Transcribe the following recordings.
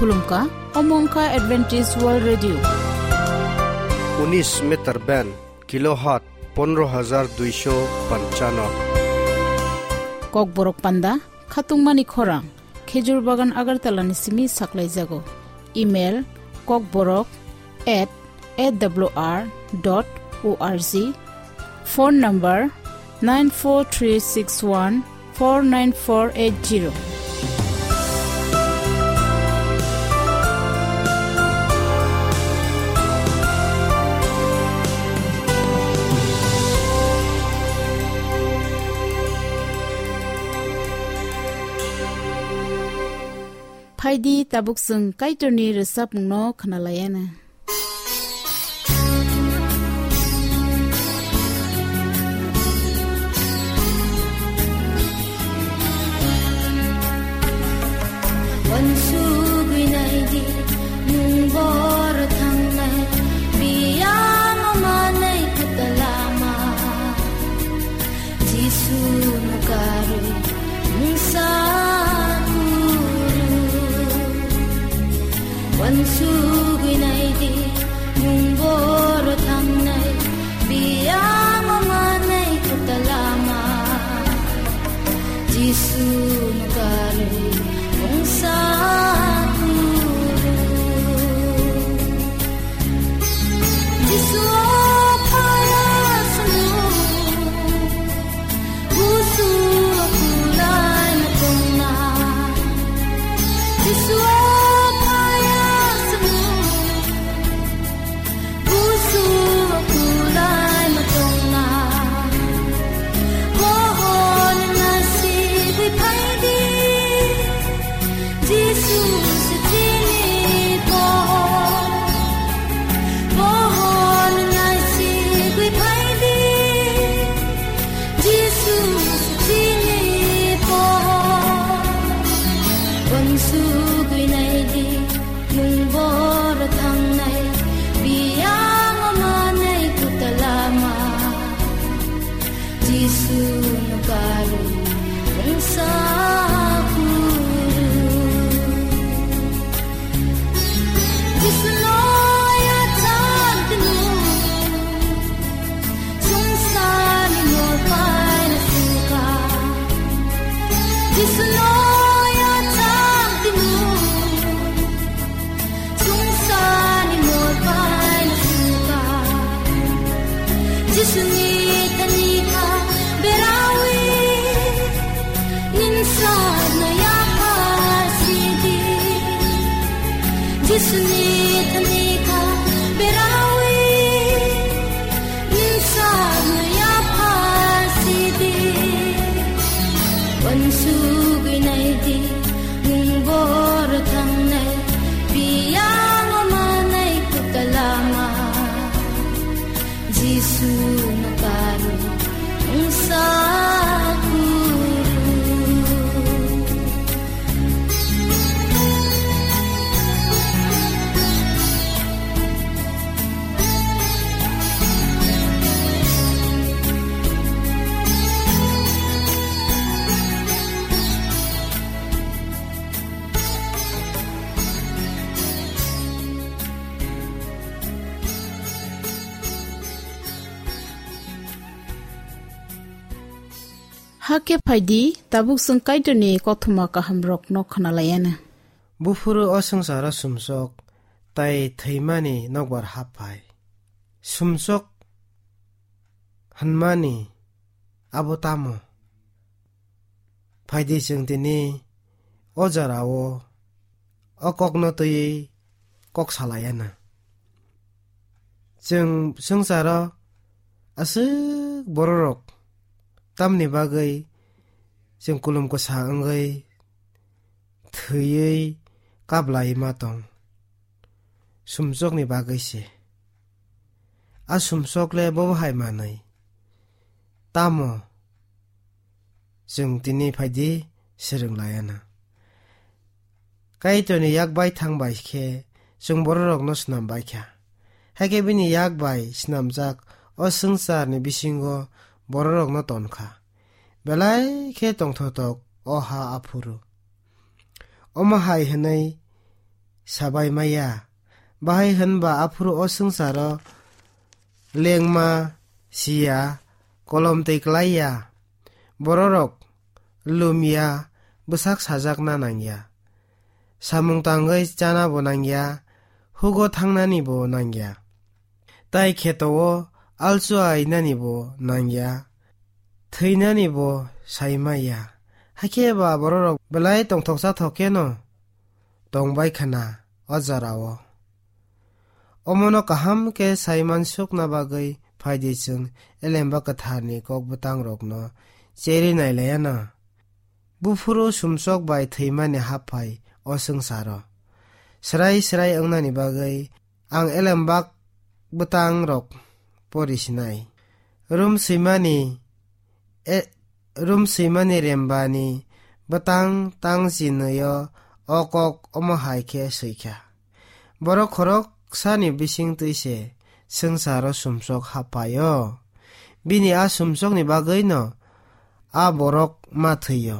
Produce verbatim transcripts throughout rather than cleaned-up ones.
Khulumkha, omo wngkha Adventist World Radio. Unis meter band, kilohertz pondro hajar duisho panchano. Kokborok panda, khatungmani khorang, Khejur Bagan Agartala ni simi saklaijago. Email, kokborok at A W R dot O R G. Phone number nine four three six one four nine four eight zero. Phaidi tabuk chwng Kaitorni rwchapmungno khwnalaiana. Uansugwi naidi, nwng bor thangnai, biyang manai kwtal lama. Jisu no karwi mungsa kuru. Uansugwi naidi, nwng bor thangnai, biyang manai kwtal lama. Jisu no karwi mungsa kuru. Jisu o phaya swngo, busu o kulai ma tongna. Jisu o phaya swngo, busu o kulai ma tongna. Bohor na sibwi phaidi. Jisu se chini pohor, pohor nai sigwi phaidi. Jisu se chini pohor, uansugwi naidi, nwng bor thangnai, biyang manai kwtal lama. Jisu no karwi mungsa kuru. Jisu no yachang tino, sungsani mol paina sungka. Jisu no yachang tino, sungsani mol paina sungka. Jisuni thani kha berawi, nini sakno yapha sidi. Jisuni thani kha berawi, nini sakno yapha sidi. Uansugwi naidi, nwng bor thangnai, biyang manai kwtal lama. Jisu no karwi mungsa kuru. Hakhe phaidi, tabuk chwng Kaitorni kothoma kahamrokno khwnalaiana. Buphuru o swngcharo sumsok tai thwimani nokbar hap phai. Sumsok hwnmani abo tamo? Phaidi chwng tini o jorao o kokno twiwi kok salaiana. Chwng swngcharo aswk bororok tamni bagwi chwng kulum kwsa wngwi thwiwi kaplai ma tong? Sumsokni bagwi se. A sumsok le bobo hai manwi. Tamo chwng tini phaidi swrwng laiana. Kaitorni yak bai thang bai khe chwng bororokno snam bai kha. Hakhe bini yak bai snamjak o swngcharni bisingo bororokno ton kha. Belai khe tongthotok o ha aphuru. Omo hai hwnwi sabai maya. Bahai hwnba aphuru o swngcharo lengma siya, kolom twi klai ya. Bororok lumya, bwsak sajakna nangya. Samung tangwi chana bo nangya, hugo thangnani bo nangya. Tai kheto-o alchua inani bo nangya, thwinani bo sai maya. Hakhe ba bororok belai tongthoksa thok kheno tongbai khna o jora-o. Omono kaham khe sai mansukna bagwi phaidi chwng Elemba Kwtharni kok bwtangrokno cheri nailaiya na. Buphuru sumsok bai thwimani haphai o swngcharo. Srai srai wngnani bagwi ang Elembak bwtangrok pori sinai. Rum swimani, e, rum swimani rembani bwtang tang chinwi-o o kok omo hai khe swikha. Borok khoroksani bisingtwi se swngcharo sumsok haphaio. Bini a sumsokni bagwino a borok ma thwio.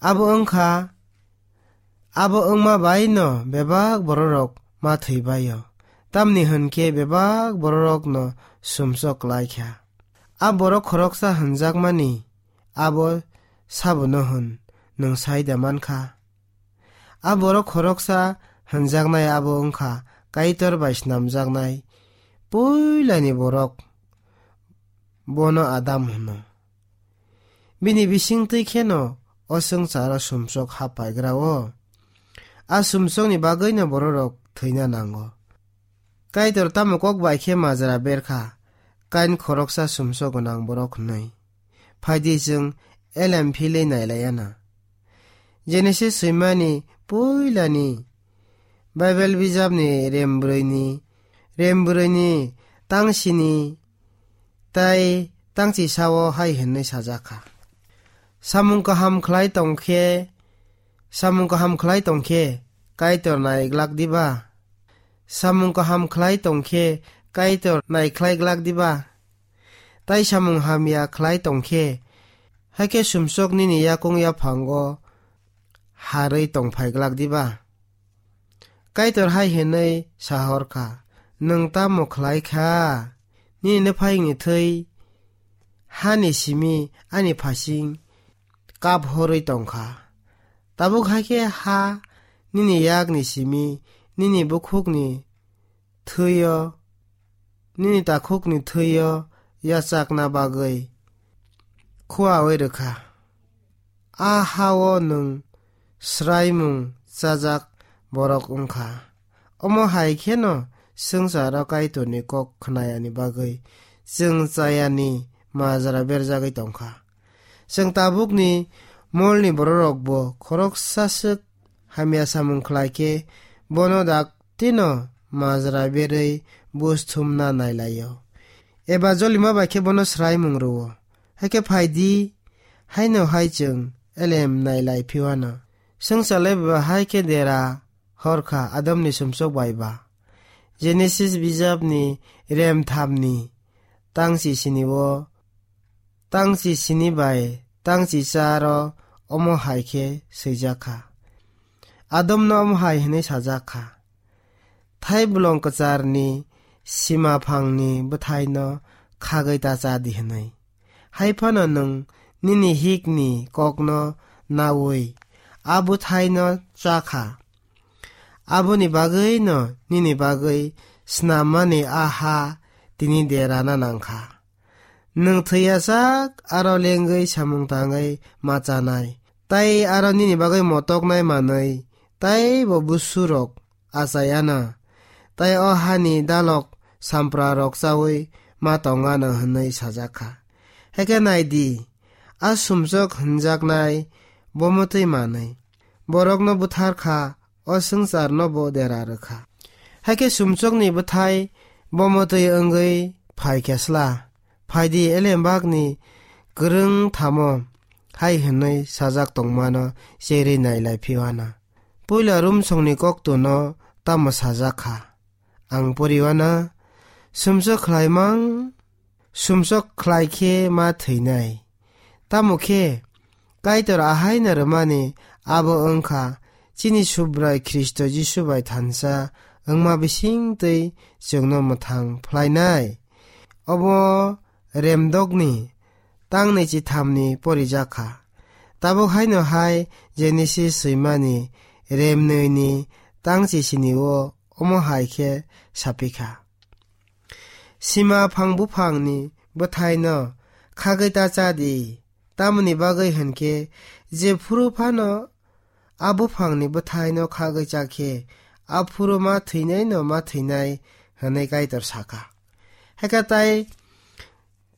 Abo wngkha, abo wngma bai no bebak bororok ma thwibaio. Tamni hwn khe bebak bororokno sumsok klaikha. A borok khoroksa hwnjakmani abo sabono hwn, nwng sai da mankha? A borok khoroksa hwnjaknai abo wngkha Kaitor bai snamjaknai puilani borok, bono Adam hwno. Bini bisingtwi kheno o swngcharo sumsok hap paigra-o. A sumsokni bagwino bororok thwina nango. Kaitor tamo kok bai khe majra berkha, Kain khoroksa sumsok gwnang borok hwnwi? Phaidi chwng elem philwi nailaiya na. Genesis swimani puilani Baibel bijapni rem brwini, rem brwini tangsini tai tangchisao hai hwnwi sajakha. Samung kaham khlai tongkhe, samung kaham khlai tongkhe Kaitor nai glak diba? Samung kaham khlai tongkhe Kaitor nai khlai glak diba? Tai samung hamya khlai tongkhe, hakhe sumsok nini yakung yaphango harwi tongphai glak diba? Kaitor hai hwnwi sahorkha, "Nwng tamo khlai kha? Nini nuphaini thwi hani simi ani phasing kap horwi tongkha. Tabuk hai khe ha nini yakni simi nini bukhukni thwi-o, nini takhukni thwi-o yachakna bagwi khuaui rwkha. A ha-o nwng swraimung chajak borok wngkha." Omo hai kheno swngcharo Kaitorni kok khnayani bagwi chwng chayani majra berjagwi tongkha. Chwng tabukni molni bororokbo khoroksa swk hamya samung khlai khe bono dak tino majra berwi buj thumna nailaio. Eba jolima bai khe bono swraimung rwo. Hakhe phaidi, haino hai chwng elem nailai phiwano. Swngchale ba hai khe dera horkha Adamni sumsok bai ba. Genesis bijapni rem thamni tangchi sini-o, tangchi sini bai tangchi charo omo hai khe swijak kha. Adamno omo hai hwnwi sajak kha, "Thai bolong kwcharni sima phangni bwthaino khagwi ta cha di," hwnwi. Hai phano nwng nini hikni kokno naui a bwthaino cha kha. Aboni bagwino nini bagwi snammani a ha tini derana nang kha. Nwng thwiya sak aro lengwi samung tangwi ma chanai, tai aro nini bagwi motoknai manwi taibo busurok achayana, tai o hani dalok samprarok chaui ma tongana hwnwi sajak kha. Hakhe nai di, a sumsok hwnjaknai bomotwi manwi borokno buthar kha, o swngcharno bo dera rw kha. Hakhe sumsokni bwthai bomotwi wngwi phai khe sla, phaidi elembakni kwrwng thamo hai hwnwi sajak tongmano cherwi nailai phiwana. Puila Rumsongni koktono tamo sajak kha? Ang poriwana, sumsok khlaimang, sumsok khlai khe ma thwinai. Tamo khe Kaitor ahaino rwmani abo wngkha chini Subrai Khristo Jisu bai thansa wngma bisingtwi chwngno mwthang phlainai. Obo Remdokni tang naichi thamni porijak kha. Tabuk haino hai Genesis swimani remnwini tang chisinio omo hai khe saphi kha. Sima phang buphangni bwthaino khagwi ta cha di, tamoni bagwi hwn khe je phuru phano a buphangni bwthaino khagwi cha khe a phuru ma thwinaino ma thwinai hwnwi Kaitor sa kha. Hakhe tai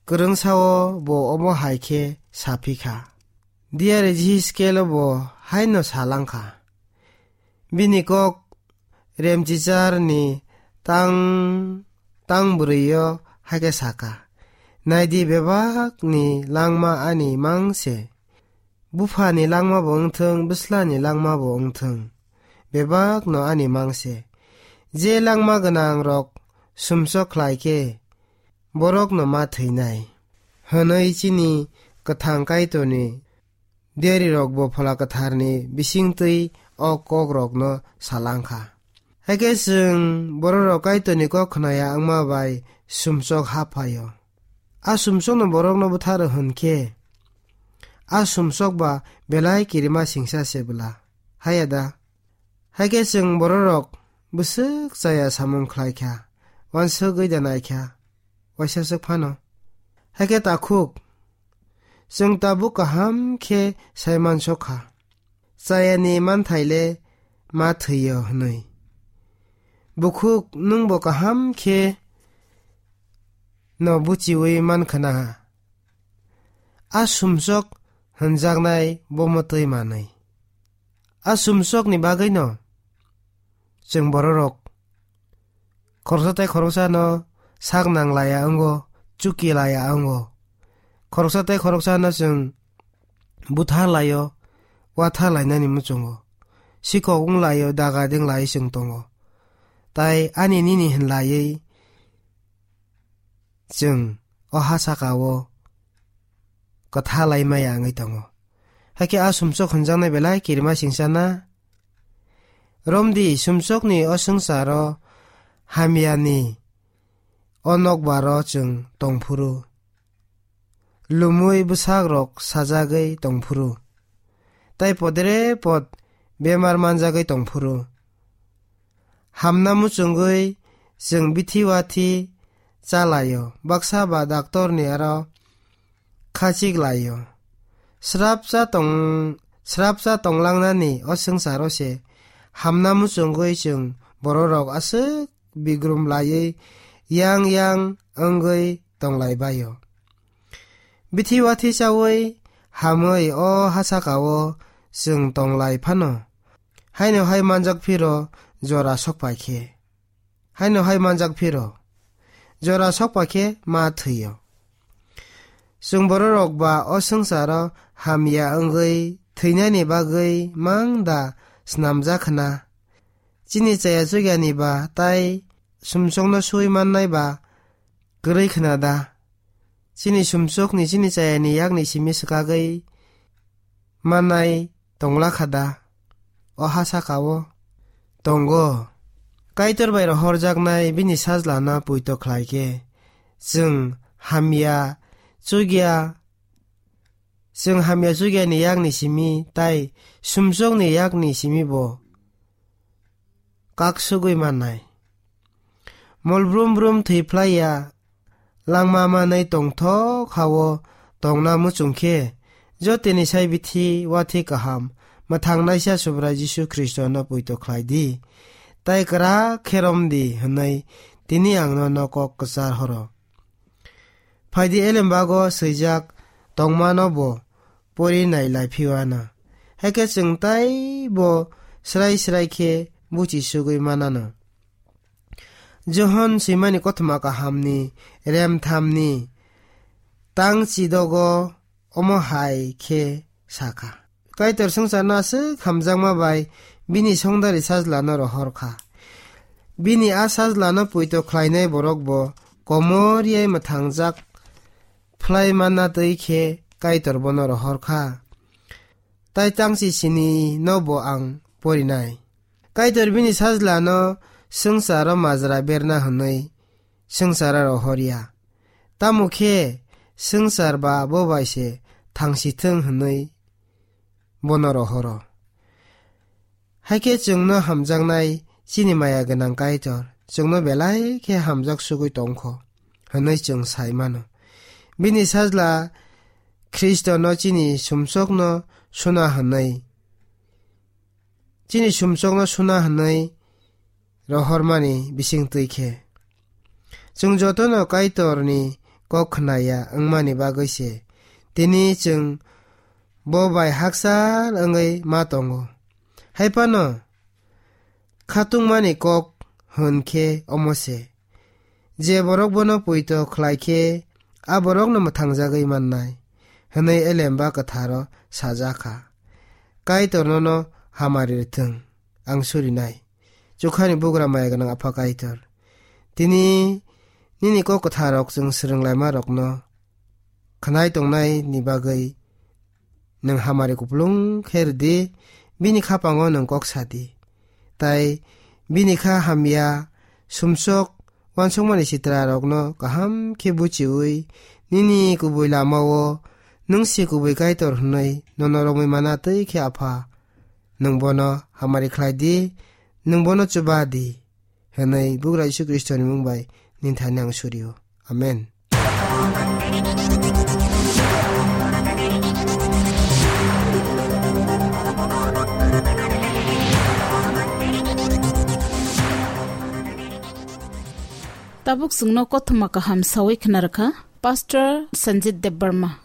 kwrwngsao bo omo hai khe saphi kha. Diari Jihiskelo bo haino sa lang kha. Bini kok remchicharni tang, tang bwrwio hai khe sa kha, "Nai di, bebakni langma ani mang se. Buphani langma bo wng thung, bwslani langma bo wng thung, bebakno ani mang se. Je langma gwnangrok sumsok khlai khe, borokno ma thwinai," hwnwi chini kwthang Kaitorni diarirokbo Phola Kwtharni bisingtwi o kokrokno sa lang kha. Hakhe chwng bororok Kaitorni kok khnaya wngma bai sumsok ha phaio. A sumsokno borokno bwtharo hwn khe, a sumsok ba belai kirima singsa se bwla. Haya da? Hakhe chwng bororok bwswk chaya samung khlai kha, uansugwi da nai kha, uaisaswk phano. Hakhe takhuk, chwng tabuk kaham khe sai mansok kha, chayani manthai le ma thwio hwnwi. Bukhuk, nwng bo kaham khe no buchiui man khna ha. A sumsok hwnjaknai bo mwtwi manwi. A sumsokni bagwino chwng bororok khoroksa tei khoroksano sak nang laya wngo, chuki laya wngo. Khoroksa tei khoroksano chwng buthar laio, uathar lainani muchungo. Sikhok wng laio, daga ding lai chwng tongo. Tai ani nini hwn laiwi chwng o ha saka-o kwtha lai maya wngwi tongo. Hakhe a sumsok hwnjaknai belai kirima singsa na? Romdi, sumsokni o swngcharo hamyani o nokbaro chwng tongphuru, lumui bwsakrok sajagwi tongphuru, tai podre pod bemar manjagwi tongphuru, hamna muchungwi chwng bithi uathi cha laio, baksa ba daktorni aro khachik laio. Srapsa tong-, srapsa tonglangnani o swngcharo se hamna muchungwi chwng bororok aswk bigrum laiwi yang yang wngwi tonglai baio. Bithi uathi chaui hamwi o ha saka-o chwng tonglai phano, haino hai manjak phiro jora sok pai khe. Haino hai manjak phiro jora sok pai khe ma thwio. Chwng bororok ba o swngcharo hamya wngwi thwinani bagwi mang da snamjak khna? Chini chaya chukyani ba tai sumsokno sui mannai ba kwrwi khna da? Chini sumsokni chini chayani yakni simi swkagwi mannai tongla kha da? O ha saka-o tongo. Kaitor bai rohorjaknai bini sajlano poito khlai khe, chwng hamya chukya, chwng hamya chukyani yakni simi tai sumsokni yakni simi bo kaksugwi mannai. Mol brum brum thwi phlai ya, langma manwi tongthok ha-o tongna muchung khe, jotoni sai bithi uathi kaham mwthangnaisa Subrai Jisu Khristono poito khlai di, tai kwrak khe rom di hwnwi tini ang nono kok kwchar horo. Phaidi elembago swijak tongmano bo pori nai lai phiwana. Hakhe chwng taibo srai srai khe buchi sugwi manano. Johon swimani kothoma kahamni remthamni tang chidogo omo hai khe sakha. Kaitor swngcharno aswk hamjakma bai bini songdari sajlano rohor kha. Bini a sajlano poito khlainai borok bo komor yai mwthangjak phlai manna twi khe Kaitor bono rohor kha. Tai tangchi sini no bo ang porinai. Kaitor bini sajlano swngcharo majra berna hwnwi swngcharo rohorya. Tamo khe swngchar ba bo bai se thangsithwng hwnwi bono rohoro. Hai khe chwngno hamjaknai chini maya gwnang Kaitor chwngno belai khe hamjak sugwi tongkho hwnwi chwng sai mano. Bini sajla Khristono chini sumsokno suna hwnwi, chini sumsokno suna hwnwi rohormani bising twi khe. Chwng jotono Kaitorni kok khnaya wngmani bagwi se tini chwng bo bai hakchal wngwi ma tongo. Hai phano khatungmani kok hwn khe omo se, je borok bono poito khlai khe a borokno mwthangjagwi mannai hwnwi Elemba Kwtharo sajak kha. Kaitor nono hamari rwthwng, ang surinai. Chukhani bugra maya gwnang Apha Kaitor, tini nini kok kwtharrok chwng swrwnglaima rokno khwnai tongnai ni bagwi nwng hamari kupulung khe rwdi, bini khapango nwng kok sadi. Tai bini kha hamya sumsok uansukmani sitra rokno kaham khe buchiui nini kubui lamao nwng se kubui Kaitor hwnwi nono romwi mana twi khe Apha, nwng bono hamari khlai di, nwng bono chuba di, hwnwi Bugra Jisu Khristoni mung bai nini thani ang surio. Amen. Tabuk chwngno kothoma kaham sawi khna rwkha Pastor Sanjit Debbarma.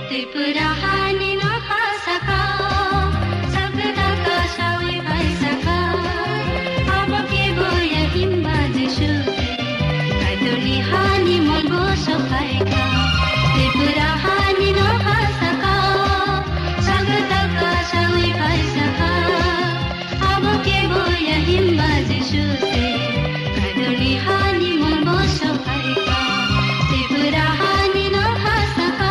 Tripura hani no ha saka, sagda ka sawi bai saka, abo ke boya himba Jisu te, Kaitorni hani mon bo sokai ka. Tripura hani no ha saka, sagda ka sawi bai saka, abo ke boya himba Jisu se, Kaitorni hani mon bo sokai ka. Tripura hani no ha saka.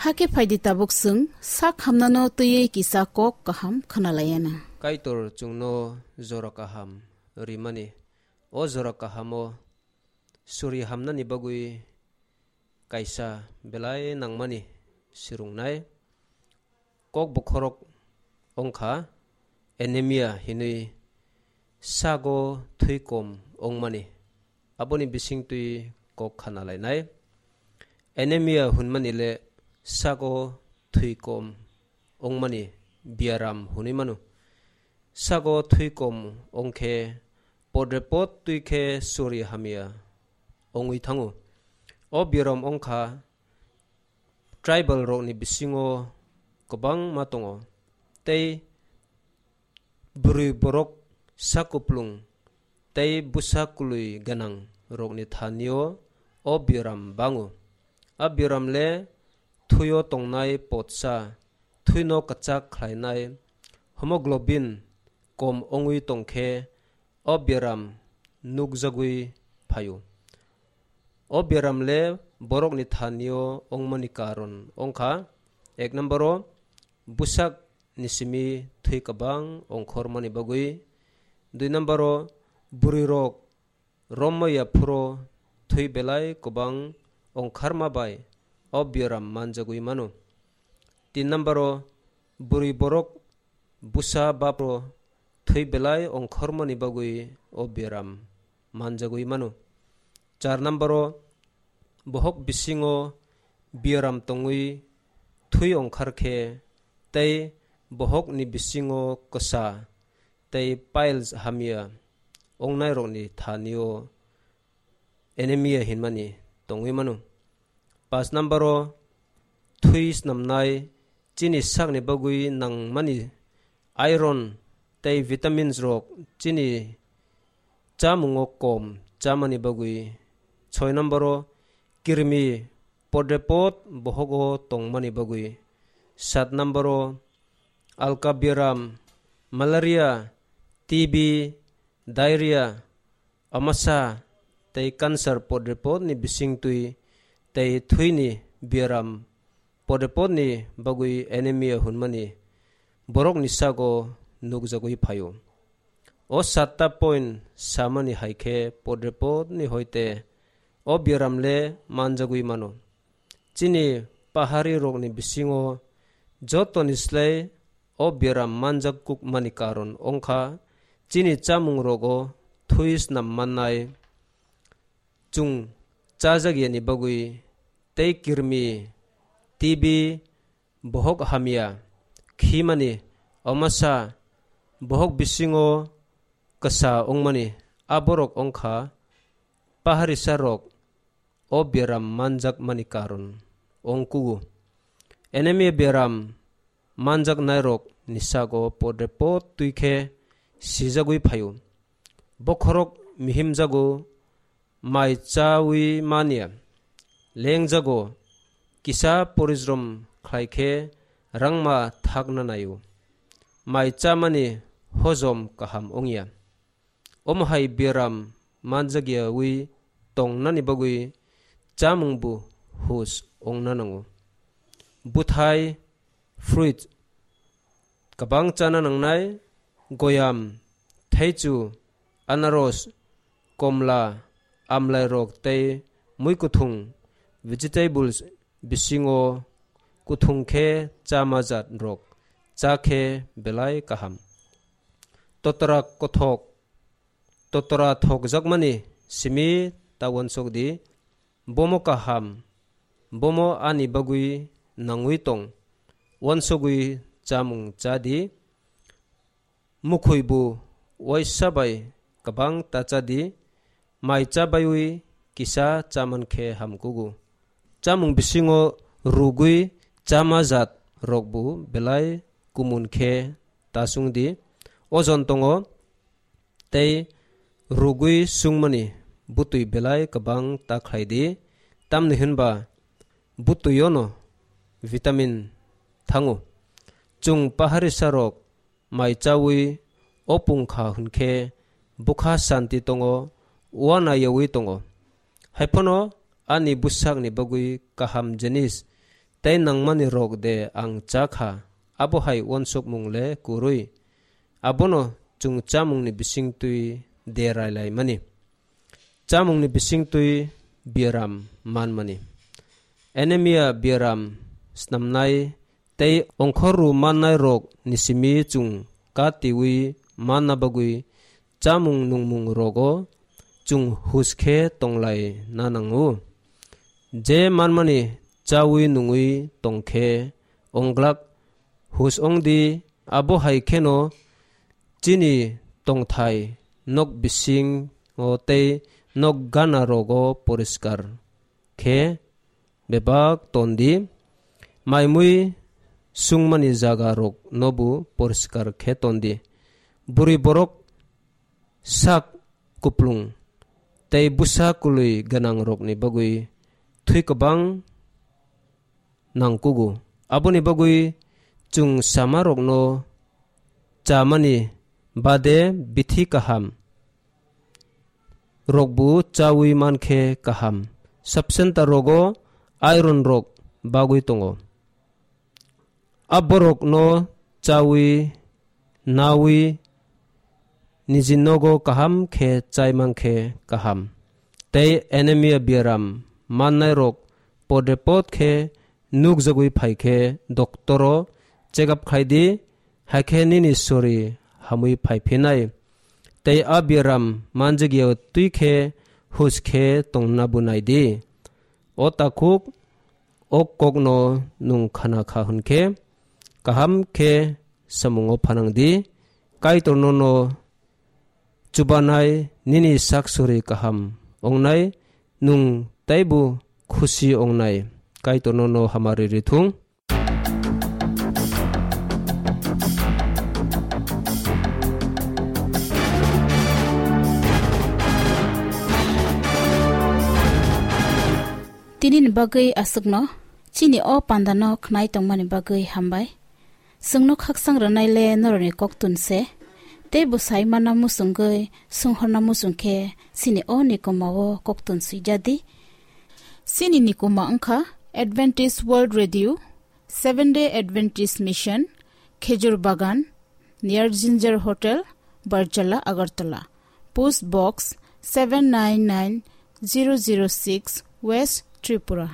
Hakhe phaidi tabuk chwng sak hamnano twiwi kisa kok kaham khwnalaiyana. Kaitor chwngno jora kaham rimani. O jora kahamo suri hamnani bagwi kaisa belai nangmani swrwngnai kok bokhorok wngkha anemia hinwi sago thwi kom wngmani. Aboni bisingtwi kok khana lainai. Anemia hwnmani le sago thwi kom wngmani biaram hwnwi mano. Sago thwi kom wngkhe podre pod twi khe suri hamya wngwi thango. O biaram wngkha tribal rokni bisingo kwbangma tongo, tei bwrwi borok sak kuplung tei bwsa kwlwi gwnang rokni thani-o o biaram bango. A biaram le thwi-o tongnai potsa, thwino kwchak khlainai hemoglobin kom wngwi tongkhe o biaram nukjagwi phaio. O biaram le borokni thani-o wngmani karon wngkha, ek number-o bwsak ni simi thwi kwbang ongkhormani bagwi, dui number-o bwrwirok romma yaphuro thwi belai kwbang ongkharma bai o biaram manjagwi mano. Tin number-o bwrwi borok bwsa bapro thwi belai ongkhormani bagwi o biaram manjagwi mano. Char number-o bohok bisingo biaram tongwi thwi ongkhar khe tei bohokni bisingo kwsa tei piles hamya ongnairokni thani-o anemia hinmani tongwi mano. Pas number-o thwi snamnai chini sakni bagwi nangmani iron tei vitamins rok chini chamungo kom chamani bagwi. Soi number-o kirmi podrepot bohogo tongmani bagwi. Sat number-o alka biaram, malaria, T B, diarrhea, amasa tei cancer podrepotni bisingtwi tei thwini biaram podrepotni bagwi anemia hwnmani borokni sago nukjagwi phaio. O satta point samani hai khe podrepotni hoite o biaram le manjagwi mano. Chini pahari rokni bisingo jotoni slai o biaram manjak kukmani karon wngkha chini chamung rogo thwi snam mannai, chwng chajakyani bagwi tei kirmi, T B, bohok hamya, khimani, omasa, bohok bisingo kwsa wngmani, a borok wngkha paharisa rok o biaram manjakmani karon wngkugo. Anemia biaram manjaknairok ni sago podrepot twi khe sijagwi phaio. Bokhorok mihimjago, mai chawi manya, lengjago, kisa porijrom khlai khe rangma thakna naio. Mai chamani hojom kaham wngya. Omo hai biaram manjakyawi tongnani bagwi chamung bo hus wngna nango. Bwthai, fruit, kwbang chana nangnai, goyam, thaichu, anaros, komla, amlairok tei mui kuthung, vegetables, bisingo kuthung khe chama jat rok cha khe belai kaham. Totra kothok, totra thokjakmani simi ta uansuk di, bomo kaham, bomo ani bagwi nangwi tong, uansugwi chamung cha di, mukhwi bo uaisa bai kwbang ta cha di, mai cha baiwi kisa cha man khe hamkugo. Chamung bisingo rugwi chama jat rok bo belai kumun khe ta sung di, ojon tongo, tei rugwi sungmani bwtwi belai kwbang ta khlai di, tamni hwnba bwtwiono vitamin thango. Chwng paharisa rok mai chawi opung kha hwnkhe bwkha santi tongo, uana yawi tongo. Haiphano ani bwsakni bagwi kaham jinis tei nangmani rok de ang cha kha, abo hai uansukmung le kwrwi. Abono chwng chamungni bisingtwi de railaimani. Chamungni bisingtwi biaram manmani. Anemia biaram snamnai tei ongkhorru mannai rok ni simi chwng katiwi manna bagwi chamung nungmung rogo chwng hus khe tonglai na nango. Je manmani chawi nungwi tongkhe onglak hus ongdi, abo hai kheno chini tongthai nok bisingo tei nok gana rogo poriskar khe bebak tondi, maimui sungmani jaga rok nobu poriskar khe tondi. Bwrwi borok sak kuplung tei bwsa kwlwi gwnangrokni bagwi thwi kwbang nangkugo. Aboni bagwi chwng chamarokno chamani bade bithi kaham rokbo chawi mankhe kaham. Sub-center rogo iron rok bagwi tongo. A borokno chawi nawi niji nogo kaham khe chai mankhe kaham. Tei anemia biaram mannai rok pode pod khe nukjagwi phai khe doktoro check up khai di, hai khe nini sori hamwi phai phinai. Tei a biaram manjak ya twi khe huj khe tongna bo nai di. O takhuk o kokno nwng khana kha hwn khe, kaham khe samungo phanang di. Kaitorno no chubanai nini sak sori kaham ongnai, nwng teibo khusi ongnai. Kaitorno no hamari rithung. Tini ni bagwi aswkno, chini o panda no khnai tongmani bagwi hambai. Chwngno khakchang rwnai le norokni koktun se, tei bwsai mana muchungwi swnghorna muchung khe chini o nikoma o koktun swijadi. Chini nikoma wngkha Adventist World Radio, Seventh Day Adventist Mission, Khejur Bagan, near Ginger Hotel, Barjala, Agartala. Post Box seven nine nine zero zero six, West Tripura.